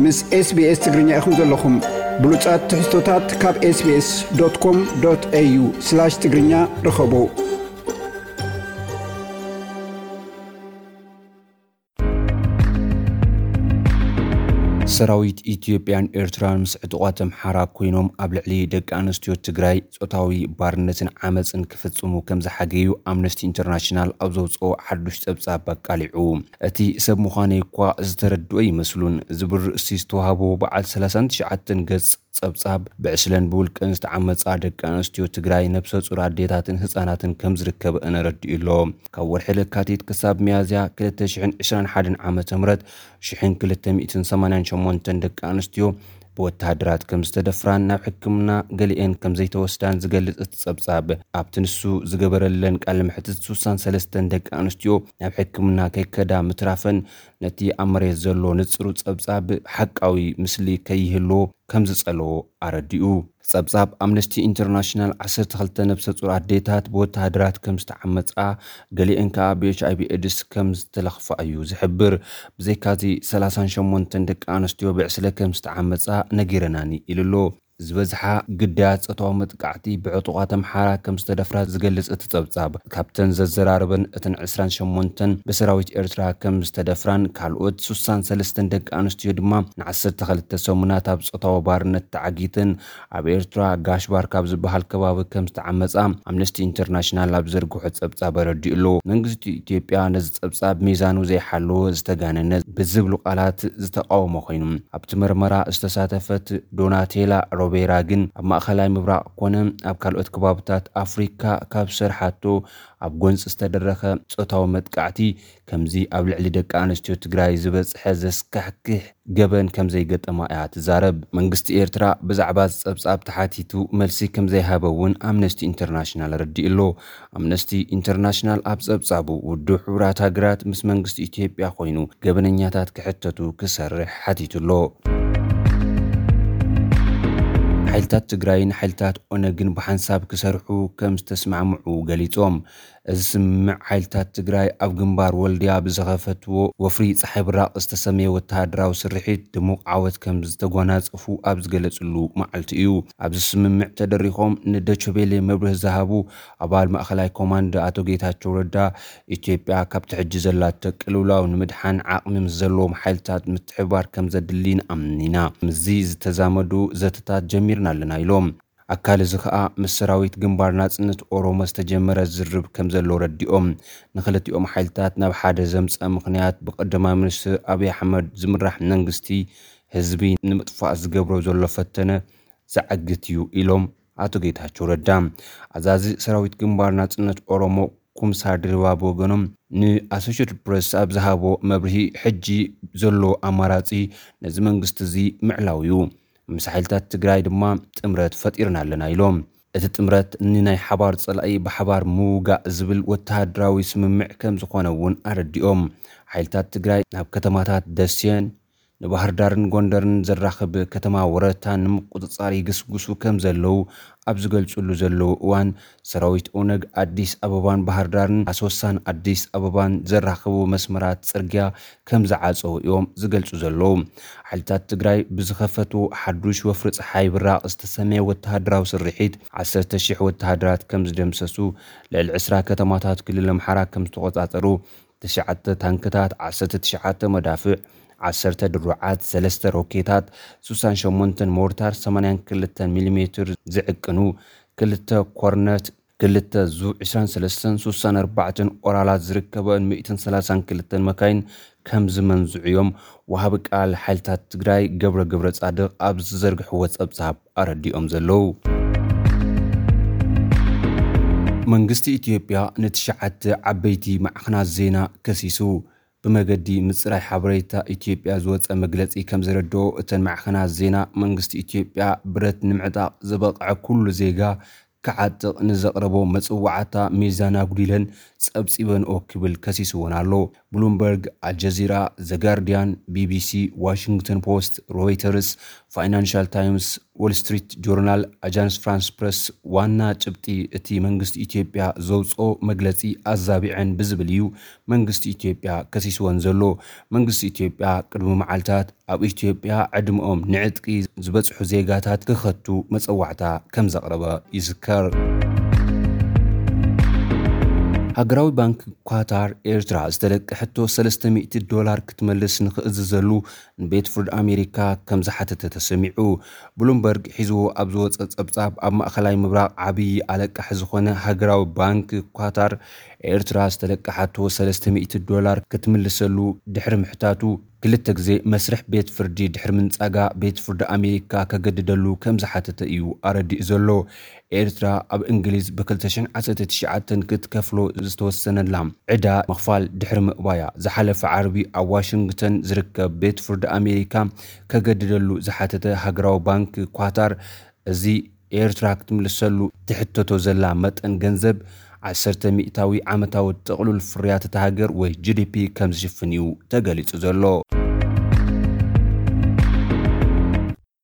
ምስ SBS ትግርኛ ኢኹም ዘለኹም። ብሉጻት ትሕዝቶታት ካብ SBS.com.au/ትግርኛ ርኸቡ። ሰራዊት ኢትዮጵያን ኤርትራን ምስ ዕጡቓት ኣምሓራ ኮይኖም ኣብ ልዕሊ ደቂ ኣንስትዮ ትግራይ ጾታዊ ባርነትን ዓመጽን ክፍጽሙ ከም ዝሓገዩ ኣምነስቲ ኢንተርናሽናል ኣብ ዘውጽኦ ሓዱሽ ጸብጻብ ኣቃሊዑ። እቲ ሰብ ምዃነይ እኳ ዝተረድኦ ይመስሉን ዝብል ርእሲ ዝተዋህቦ በዓል ሰላሳን ትሽዓተን ገጽ ጸብጻብ፣ ብዕስለን ብውልቅን ዝተዓመጻ ደቂ ኣንስትዮ ትግራይ፣ ነብሰ ጹር ኣዴታትን ህጻናትን ከም ዝርከበ ኣረዲኡ ኣሎ። ካብ ወርሒ ለካቲት ክሳብ ሚያዝያ ክልተ ሽሕን ዕስራን ሓደን ዓመተ ምህረት ሽሕን ክልተ ሚእትን ሰማንያን ሸሞንተን ደቂ ኣንስትዮ ብወተሃደራት ከም ዝተደፍራን ናብ ሕክምና ገሊኤን ከም ዘይተወስዳን ዝገልጽ እቲ ጸብጻብ፣ ኣብቲ ንሱ ዝገበረለን ቃለ መሕትት ሱሳን ሰለስተን ደቂ ኣንስትዮ ናብ ሕክምና ከይከዳ ምትራፈን ነቲ ኣብ መሬት ዘሎ ንጽሩ ጸብጻብ ሓቃዊ ምስሊ ከይህልዎ ከም ዝጸለዎ ኣረዲኡ። ጸብጻብ ኣምነስቲ ኢንተርናሽናል ዓሰርተ ክልተ ነብሰ ጹር ኣዴታት ብወተሃደራት ከም ዝተዓመጻ፣ ገሊአን ከኣ ብኤች ኣይ ቪ ኤድስ ከም ዝተለኽፋ እዩ ዝሕብር። ብዘይካዚ ሰላሳን ሸሞንተን ደቂ ኣንስትዮ ብዕስለ ከም ዝተዓመጻ ነጊረናኒ ኢሉ ኣሎ። ዝበዝሓ ግዳያት ጾታዊ መጥቃዕቲ ብዕጡቓት ኣምሓራ ከም ዝተደፍራ ዝገልጽ እቲ ጸብጻብ፣ ካብተን ዘዘራረበን እተን ዕስራን ሸሞንተን ብሰራዊት ኤርትራ ከም ዝተደፍራን ካልኦት ሱሳን ሰለስተን ደቂ ኣንስትዮ ድማ ንዓሰርተ ክልተ ሰሙናት ኣብ ጾታዊ ባርነት ተዓጊተን ኣብ ኤርትራ ጋሽባር ካብ ዝበሃል ከባቢ ከም ዝተዓመጻ ኣምነስቲ ኢንተርናሽናል ኣብ ዘርግሖ ጸብጻብ ኣረዲኡ ኣሎ። መንግስቲ ኢትዮጵያ ነዚ ጸብጻብ ሚዛኑ ዘይሓለወ፣ ዝተጋነነ ብዝብሉ ቃላት ዝተቃወሞ ኮይኑ፣ ኣብቲ መርመራ ዝተሳተፈት ዶናቴላ ሮቤራ ግን ኣብ ማእከላይ ምብራቕ ኮነ ኣብ ካልኦት ከባብታት ኣፍሪካ ካብ ዝሰርሓቶ ኣብ ጎንፂ ዝተደረኸ ጾታዊ መጥቃዕቲ ከምዚ ኣብ ልዕሊ ደቂ ኣንስትዮ ትግራይ ዝበፅሐ ዘስካሕክሕ ገበን ከም ዘይገጠማ እያ ትዛረብ። መንግስቲ ኤርትራ ብዛዕባ እዚ ጸብጻብ ተሓቲቱ መልሲ ከም ዘይሃበ እውን ኣምነስቲ ኢንተርናሽናል ኣረዲኡ ኣሎ። ኣምነስቲ ኢንተርናሽናል ኣብ ጸብጻቡ፣ ውድብ ሕቡራት ሃገራት ምስ መንግስቲ ኢትዮጵያ ኮይኑ ገበነኛታት ክሕተቱ ክሰርሕ ሓቲቱ ኣሎ። ሓይልታት ትግራይን ሓይልታት ኦነግን ብሓንሳብ ክሰርሑ ከም ዝተስማዕምዑ ገሊጾም። እዚ ስምምዕ ሓይልታት ትግራይ ኣብ ግንባር ወልድያ ብዝኸፈትዎ ወፍሪ ጸሓይ ብራቕ ዝተሰመየ ወተሃደራዊ ስርሒት ድሙቕ ዓወት ከም ዝተጓናጸፉ ኣብ ዝገለጽሉ መዓልቲ እዩ። ኣብዚ ስምምዕ ተደሪኾም ንደቸቤሌ መብርሂ ዝሃቡ ኣባል ማእኸላይ ኮማንድ ኣቶ ጌታቸው ረዳ፣ ኢትዮጵያ ካብቲ ሕጂ ዘላቶ ቅልውላው ንምድሓን ዓቕሚ ምስ ዘለዎም ሓይልታት ምትሕብባር ከም ዘድሊ ንኣምን ኢና። ምስዚ ዝተዛመዱ ዘተታት ጀሚርና ኣለና ኢሎም። ኣካል እዚ ከኣ ምስ ሰራዊት ግንባር ናጽነት ኦሮሞ ዝተጀመረ ዝርርብ ከም ዘሎ ረዲኦም፣ ንክልቲኦም ሓይልታት ናብ ሓደ ዘምጸ ምኽንያት ብቀዳማይ ሚኒስትር ኣብይ ኣሕመድ ዝምራሕ መንግስቲ ህዝቢ ንምጥፋእ ዝገብሮ ዘሎ ፈተነ ዘዓግት እዩ ኢሎም ኣቶ ጌታቸው ረዳ። ኣዛዚ ሰራዊት ግንባር ናጽነት ኦሮሞ ኩምሳ ድሪባ ብወገኖም ንኣሶሽትድ ፕረስ ኣብ ዝሃቦ መብርሂ፣ ሕጂ ዘሎ ኣማራጺ ነዚ መንግስቲ እዚ ምዕላው እዩ። ምስ ሓይልታት ትግራይ ድማ ጥምረት ፈጢርና ኣለና ኢሎም። እቲ ጥምረት ንናይ ሓባር ጸላኢ ብሓባር ምውጋእ ዝብል ወተሃደራዊ ስምምዕ ከም ዝኾነ እውን ኣረዲኦም። ሓይልታት ትግራይ ናብ ከተማታት ደሴን ንባህር ዳርን ጎንደርን ዘራኽብ ከተማ ወረታ ንምቁጽጻር ይግስጉሱ ከም ዘለዉ ኣብ ዝገልጹሉ ዘለዉ እዋን፣ ሰራዊት ኦነግ ኣዲስ ኣበባን ባህር ዳርን ኣሶሳን ኣዲስ ኣበባን ዘራኽቡ መስመራት ጽርግያ ከም ዝዓጸዉ እዮም ዝገልጹ ዘለዉ። ሓይልታት ትግራይ ብዝኸፈትዎ ሓዱሽ ወፍሪ ጸሓይ ብራቕ ዝተሰመየ ወተሃደራዊ ስርሒት፣ ዓሰርተ ሺሕ ወተሃደራት ከም ዝደምሰሱ፣ ልዕሊ ዕስራ ከተማታት ክልል ኣምሓራ ከም ዝተቖጻጸሩ፣ ትሽዓተ ታንክታት፣ ዓሰርተ ትሽዓተ መዳፍዕ፣ ዓሰርተ ድሩዓት፣ ሰለስተ ሮኬታት፣ ሱሳን ሸሞንተን ሞርታር፣ ሰማንያን ክልተን ሚሊሜትር ዝዕቅኑ፣ ክልተ ኮርነት፣ ክልተ ዙ ዕስራን ሰለስተን፣ ሱሳን ኣርባዕተን ኦራላት ዝርከበን ሚእትን ሰላሳን ክልተን መካይን ከም ዝመንዝዑ እዮም ወሃቢ ቃል ሓይልታት ትግራይ ገብረ ገብረ ጻድቕ ኣብ ዝዘርግሕዎ ጸብጻብ ኣረዲኦም ዘለዉ። መንግስቲ ኢትዮጵያ ንትሽዓተ ዓበይቲ ማዕኸናት ዜና ከሲሱ። ብመገዲ ምጽራይ ሓበሬታ ኢትዮጵያ ዝወጸ መግለጺ ከም ዘረድኦ፣ እተን ማዕኸናት ዜና መንግስቲ ኢትዮጵያ ብረት ንምዕጣቕ ዝበቕዐ ኩሉ ዜጋ ክዓጥቕ ንዘቕረቦ መጽዋዕታ ሚዛን ኣጉዲለን ጸብጺበንኦ ክብል ከሲስወን ኣሎ። ብሉምበርግ፣ ኣልጀዚራ፣ ዘጋርዲያን፣ ቢቢሲ፣ ዋሽንግተን ፖስት፣ ሮይተርስ፣ ፋይናንሻል ታይምስ፣ ዎል ስትሪት ጆርናል፣ ኣጃንስ ፍራንስ ፕረስ ዋና ጭብጢ እቲ መንግስቲ ኢትዮጵያ ዘውፅኦ መግለፂ ኣዛቢዐን ብዝብል እዩ መንግስቲ ኢትዮጵያ ከሲስወን ዘሎ። መንግስቲ ኢትዮጵያ ቅድሚ መዓልታት ኣብ ኢትዮጵያ ዕድመኦም ንዕጥቂ ዝበፅሑ ዜጋታት ክኸቱ መፀዋዕታ ከም ዘቕረበ ይዝከር። ሃገራዊ ባንክ ኳታር ኤርትራ ዝተለቀሐቶ ሰለስተ ሚእቲ ዶላር ክትመልስ ንኽእዝዘሉ ንቤት ፍርድ ኣሜሪካ ከም ዝሓተተ ተሰሚዑ። ብሉምበርግ ሒዝዎ ኣብ ዝወፀ ጸብጻብ፣ ኣብ ማእኸላይ ምብራቕ ዓብዪ ኣለቃሒ ዝኾነ ሃገራዊ ባንክ ኳታር ኤርትራ ዝተለቀሓቶ ሰለስተ ሚእቲ ዶላር ክትምልሰሉ ድሕሪ ምሕታቱ፣ ክልተ ግዜ መስርሕ ቤት ፍርዲ ድሕሪ ምንጻጋ፣ ቤት ፍርዲ ኣሜሪካ ከገድደሉ ከም ዝሓተተ እዩ ኣረዲኡ ዘሎ። ኤርትራ ኣብ እንግሊዝ ብ ክልተ ሽሕን ዓሰርተ ትሽዓተን ክትከፍሎ ዝተወሰነላ ዕዳ ምኽፋል ድሕሪ ምእባያ፣ ዝሓለፈ ዓርቢ ኣብ ዋሽንግተን ዝርከብ ቤት ፍርዲ ኣሜሪካ ከገድደሉ ዝሓተተ ሃገራዊ ባንክ ኳታር፣ እዚ ኤርትራ ክትምልሰሉ ትሕተቶ ዘላ መጠን ገንዘብ ዓሰርተ ሚእታዊ ዓመታዊ ጥቕሉል ፍርያት እታ ሃገር ወይ ጂ ዲ ፒ ከም ዝሽፍን እዩ ተገሊጹ ዘሎ።